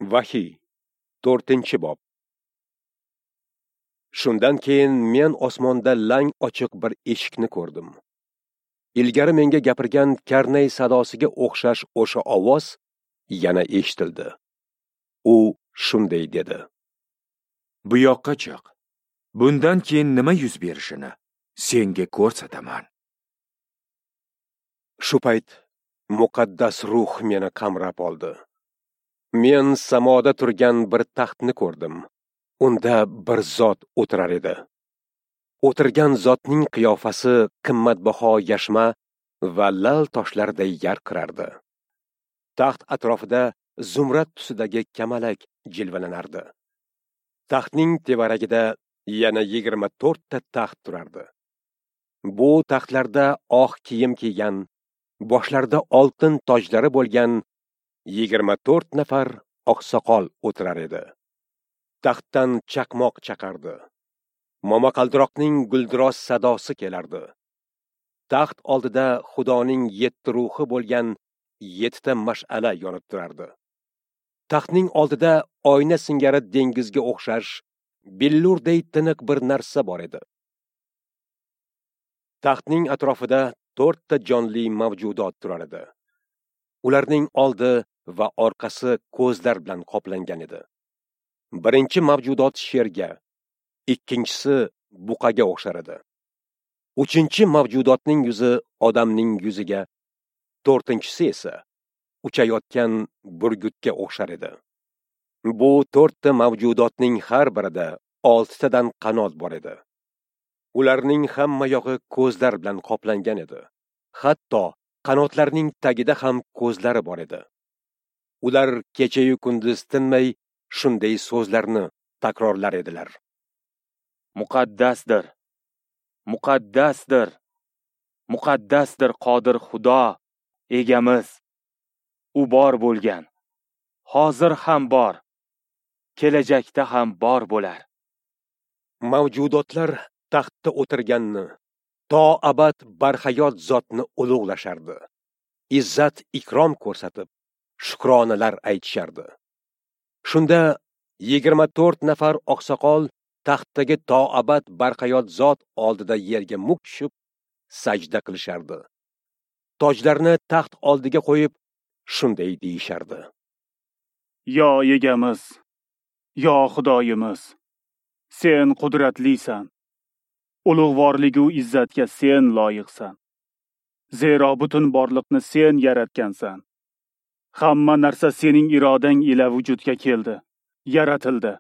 Vahiy, 4-bob. Shundan keyin men osmonda lang ochiq bir eshikni ko'rdim. Ilgari menga gapirgan karnay sadosiga o'xshash o'sha ovoz yana eshitildi. U shunday dedi: Bu yoqqa chiq. Bundan keyin nima yuz berishini senga ko'rsataman. Shu payt muqaddas ruh meni qamrab oldi. Men samoda turgan bir taxtni ko'rdim. Unda bir zot o'tirar edi. O'tirgan zotning qiyofasi qimmatbaho yashma va lal toshlarday yarqirardi. Taxt atrofida zumrad tusidagi kamalak jilvalanardi. Taxtning tevaragida yana 24 ta taxt turardi. Bu taxtlarda oq kiyim kiygan, boshlarida oltin tojlari bo'lgan 24 nafar oqsoqol o'tirar edi. Taxtdan chaqmoq chaqardi. Momaqaldiroqning guldiroz sadosi kelardi. Taxt oldida Xudoning 7 ruhi bo'lgan 7 ta mash'ala yonib turardi. Taxtning oldida oyna singari dengizga o'xshash billurday tiniq bir narsa bor edi. Taxtning atrofida 4 ta jonli mavjudot turar edi. Ularning oldi va orqasi ko'zlar bilan qoplangan edi. Birinchi mavjudot sherga, ikkinchisi buqaga o'xshar edi. Uchinchi mavjudotning yuzi odamning yuziga, to'rtinchisi esa uchayotgan burgutga o'xshar edi. Bu 4 ta mavjudotning har birida 6 tadan qanot bor edi. Ularning hamma yog'i ko'zlar bilan qoplangan edi. Hatto qanotlarning tagida ham ko'zlari bor edi. Ular kecha-yu kunduz tinmay shunday so'zlarni takrorlar edilar: Muqaddasdir, muqaddasdir, muqaddasdir Qodir Xudo, egamiz. U bor bo'lgan, hozir ham bor, kelajakda ham bor bo'lar. Mavjudotlar taxtda o'tirganni, to abad barhayot zotni ulug'lashardi. Izzat ikrom ko'rsatib, shukronalar aytishardi. Shunda 24 nafar oqsoqol taxtdagi to abad barhayot zot oldida yerga muk tushib sajda qilishardi. Tojlarni taxt oldiga qo'yib shunday deyishardi: Yo egamiz, yo Xudoyimiz, sen qudratlisan. Ulug'vorligu izzatga sen loyiqsan. Zero butun borliqni sen yaratgansan. Hamma narsa sening irodang ila vujudga keldi, yaratildi.